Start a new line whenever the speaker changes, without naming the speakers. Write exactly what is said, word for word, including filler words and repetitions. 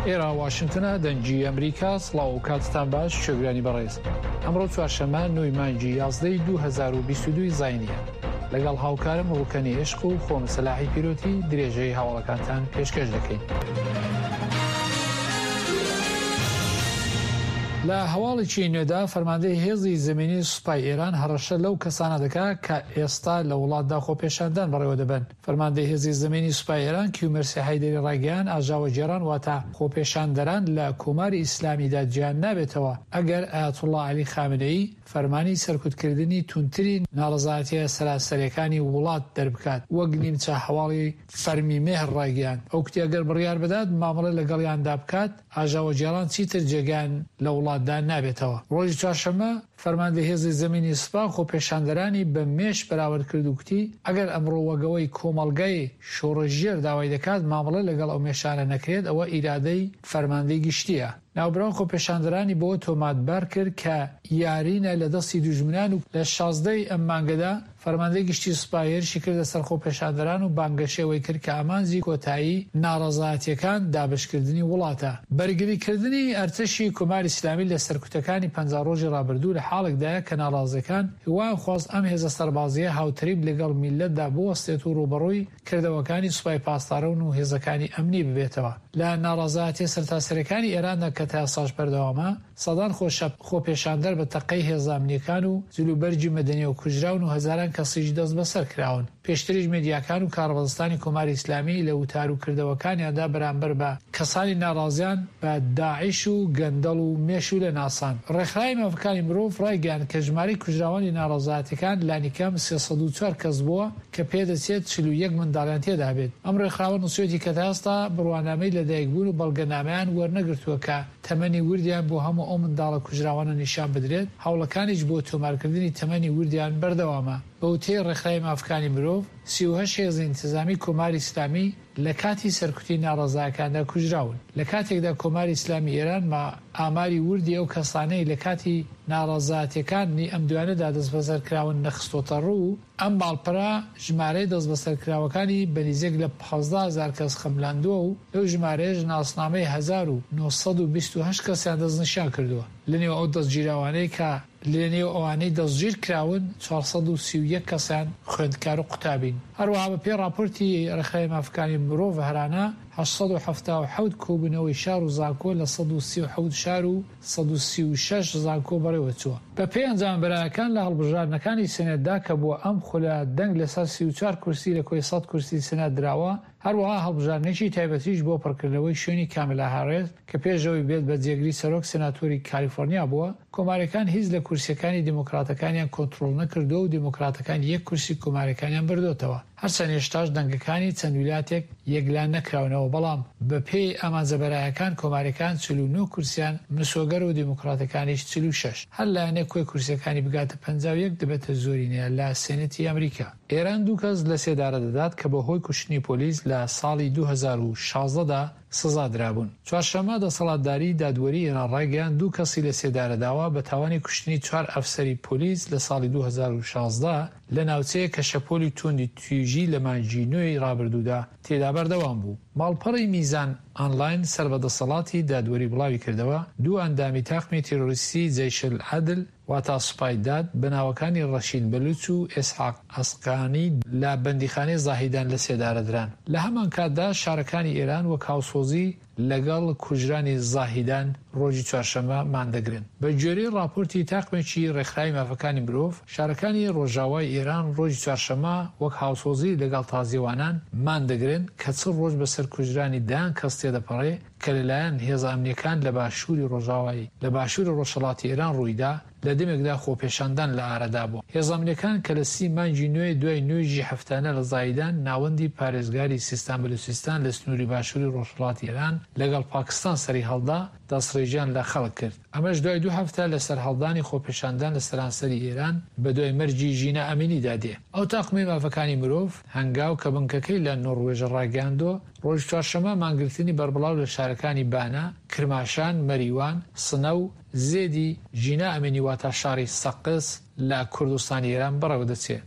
ئێرە واشنگتنە، دەنگی ئەمریکا. سڵاو و کاتتان باش شوێگرانی بەڕێز. ئەمڕۆ چوارشەممە نۆی مانگی یازدەی دوو هەزار و بیست و دوو زاینیە. لەگەڵ هاوکارم ڕوکەنی عشق و خۆم سەلاحی پیرۆتی درێژەی هەواڵەکانتان پێشکەش دەکەین. لە هەواڵێکی نوێدا فەرماندەی هێزی زمینی سوپای ئێران هەڕەشە لەو کەسانە دەکا کە ئێستا لە وڵاتدا خۆپێشاندان بەڕێوە دەبەن. فەرماندەی هێزی زمینی سوپای ئێران کیومەرسی حەیدەری ڕایگەیاند ئاژاوەگێڕان واتە خۆپێشاندەران لە کۆماری ئیسلامیدا جیان نابێتەوە ئەگەر ئایەتوڵڵا عەلی خامنەیی فەرمانی سەرکوتکردنی توندتری ناڕەزایەتیە سەراسەریەکانی وڵات دەربکات وەک نیمچە هەواڵی فەرمی مێهر ڕایگەیاند. ئەو کوتی ئەگەر بڕیار بدات مامەڵە لەگەڵیاندا بکات ئاژاوەگێڕان چیتر جێگایان لە وڵاتدا نابێتەوە. ڕۆژی چوارشەممە فەرماندەی هێزی زەمینی سوپا خۆپێشاندەرانی بە مێش بەراورد کرد و کوتی ئەگەر ئەمڕۆ وەگەوەی کۆمەڵگای شۆڕشگێر داوای دەکات مامەڵە لەگەڵ ئەو مێشانە نەکرێت ئەوە ئیرادەی فەرماندەی گشتیە. ناوبراو خۆپێشاندەرانی بەوە تۆمەتبار کرد کە یارینە لە دەستی دوژمنان و لە شازدەی ئەم مانگەدا فەرماندەی گشتی سوپا هێرشی کردە سەر خۆپێشاندەران و بانگەشەی ئەوەی کرد کە ئامانجی کۆتایی ناڕەزایەتیەکان دابەشکردنی وڵاتە. بەرگریکردنی ئەرتەشی کۆماری ئیسلامی لە سەرکوتەکانی پەنجا ڕۆژی ڕابردوو لە حاڵێکدایە کە ناڕازیەکان هیوایان خواست ئەم هێزە سەربازییە هاوتەریب لەگەڵ میللەتدا بوەستێت و ڕووبەڕووی کردەوەکانی سوپای پاسداران و هێزەکانی ئەمنی ببێتەوە. لە ناڕەزایەتیە سەرتاسەریەکانی ئێراندا کە تا ئێستاش بەردەوامە، سەدان خۆپێشاندەر بە تەقەی هێزە ئەمنیەکان و جلوبەرگی مەدەنیەوە کوژراون و هەزاران کەسیش دەستبەسەر کراون. پێشتریش میدیاکان و کاربەدەستانی کۆماری ئیسلامی لە وتار و کردەوەکانیاندا بەرامبەر بە کەسانی ناڕازیان بە داعش و گەندەڵ و مێشولە ناساند. ڕێکخراوی مافەکانی مرۆڤ ڕایگەیاند کە ژمارەی کوژراوانی ناڕەزایەتیەکان لانیکەم سێ سەد و چوار کەس بووە کە پێدەچێت چل و یەک منداڵیان تێدا بێت. ئەم ڕێکخراوە نووسیویەتی کە تا ئێستا بڕوانامەی لەدایکبوون و بەڵگەنامەیان وەرنەگرتووە کە تەمەنی وردیان بۆ هەموو ئەو منداڵە کوژراوانە نیشان بدرێت، هەوڵەکانیش بۆ تۆمارکردنی تەمەنی وردیان بەردەوامە. بە وتەی ڕێکخراوی مافەکانی مرۆڤ، سی و هەشت هێزی ئینتزامی کۆماری ئیسلامی لە کاتی سەرکوتی ناڕەزایەکاندا کوژراون. لە کاتێکدا کۆماری ئیسلامی ئێران ما ئاماری وردی ئەو کەسانەی لە کاتی ناڕەزایەتیەکانی ئەم دوایانەدا دەستبەسەر کراون نەخستۆتە ڕوو، ئەم ماڵپەرە ژمارەی دەستبەسەرکراوەکانی بە نزیک لە پازدە هەزار کەس خەملاندووە و لەو ژمارەیەش ناسنامەی هەزار و نۆ سەد و بیست و هەشت کەسیان دەستنیشان کردووە. لەنێو ئەو دەستگیراوانەی کە لەنێو ئەوانەی دەستگیر کراون چوار سەد و سی و یەک کەسیان خوێندکار و قوتابین. هەروەها بەپێی ڕاپۆرتی ڕێکخراوی مافەکانی مرۆڤ هەرانە هەشت سەد و حەفتا و حەوت کۆبوونەوەی شار و زانکۆ لە سەد و سی و حەوت شار و سەد و سی و شەش زانکۆ بەڕێوەچووە. بەپێی ئەنجامە بەرایەکان لە هەڵبژاردنەکانی سێنێتدا کە بۆ ئەم خولە دەنگ لەسەر سی و چوار کورسی لە کۆی سەد کورسی سێنات دراوە، هەروەها هەڵبژاردنێکی تایبەتیش بۆ پڕکردنەوەی شوێنی کاملا هاریس کە پێش ئەوەی بێت بە جێگری سەرۆک سێناتۆری کالیفۆرنیا بووە، کۆماریەکان هیچ لە کورسیەکانی دیموکراتەکانیان کۆنترۆڵ نەکردووە و دیموکراتەکان یەک کورسی کۆماریەکانیان بردۆتەوە. هەرچەند هێشتاش دەنگەکانی چەند ویلاتێک یەکلا نەکراونەوە، بەڵام بەپێی ئامانجە بەرایەکان کۆماریەکان چل و نۆ کورسیان مسۆگەر و دیموکراتەکانیش چل و شەش. هەر لایەنێک کۆی کورسیەکانی بگاتە پەنجا و یەک دەبێتە زۆرینە لە سێنێتی ئەمریکا. ئێران دوو کەس لە سێدارە دەدات کە بەهۆی کوشتنی پۆلیس لە ساڵی دوو هەزار و شازدە دا سزا درابوون. چوارشەممە دەسەڵاتداری دادوەری ئێران ڕایگەیاند دوو کەسی لە سێدارە داوە بە تاوانی کوشتنی چوار ئەفسەری پۆلیس لە ساڵی دوو هەزار و شازدە لە ناوچەیەک کە شەپۆلی توندی تویژی لە مانگی نۆی ڕابردوودا تێدا بەردەوام بوو. ماڵپەڕی میزان ئانلاین سەر بە دەسەڵاتی دادوەری بڵاویکردەوە، دوو ئەندامی تاقمی تیرۆریستی جەیشولعەدل واتا سوپای داد بە ناوەکانی ڕەشید بەلوچ و ئیسحاق ئەسقانی لە بەندیخانەی زاهیدان لە سێدارە دران. لە هەمانکاتدا شارەکانی ئێران وەک هاوسۆزی لەگەڵ کوژرانی زاهیدان ڕۆژی چوارشەممە ماندەگرن. بە گوێرەی ڕاپۆرتی تاقمێکی ڕێکخراوی مافەکانی مرۆڤ، شارەکانی ڕۆژاوای ئێران ڕۆژی چوارشەممە وەک هاوسۆزی لەگەڵ تازیەوانان ماندەگرن کە چل ڕۆژ بەسەر کوژرانی دەیان کەس تێدەپەڕێ کە لەلایەن هێزە ئەمنیەکان لە باشووری ڕۆژاوای لە باشووری ڕۆژهەڵاتی ئێران ڕوویدا. لە دەمێکدا خۆپێشاندان لە ئارەدا بوو. هێزە ئەمنیەکان کە لە سی مانگی نوێ دوای نوێژی هەفتانە لە زاهیدان، ناوەندی پارێزگاری سیستان بەلوچستان لە سنووری باشووری ڕۆژهەڵاتی ئێران لەگەڵ پاکستان سەریهەڵدا، دەستڕێژیان لە خەڵک کرد. ئەمەش دوای دوو هەفتە لە سەرهەڵدانی خۆپێشاندان لە سەرانسەری ئێران بە دوای مەرگی ژینا ئەمینیدا دێ. ئەو تاقمەی مافەکانی مرۆڤ، هەنگاو، کە بنکەکەی لە نۆڕوێژە ڕاگەیاندووە، ڕۆژی چوارشەممە مانگرتنی بەربڵاو لە شارەکانی بانە، کرماشان، مەریوان، سنە و زێدی ژینا ئەمینی واتا شاری سەقز لە کوردستانی ئێران بەڕێوە دەچێ.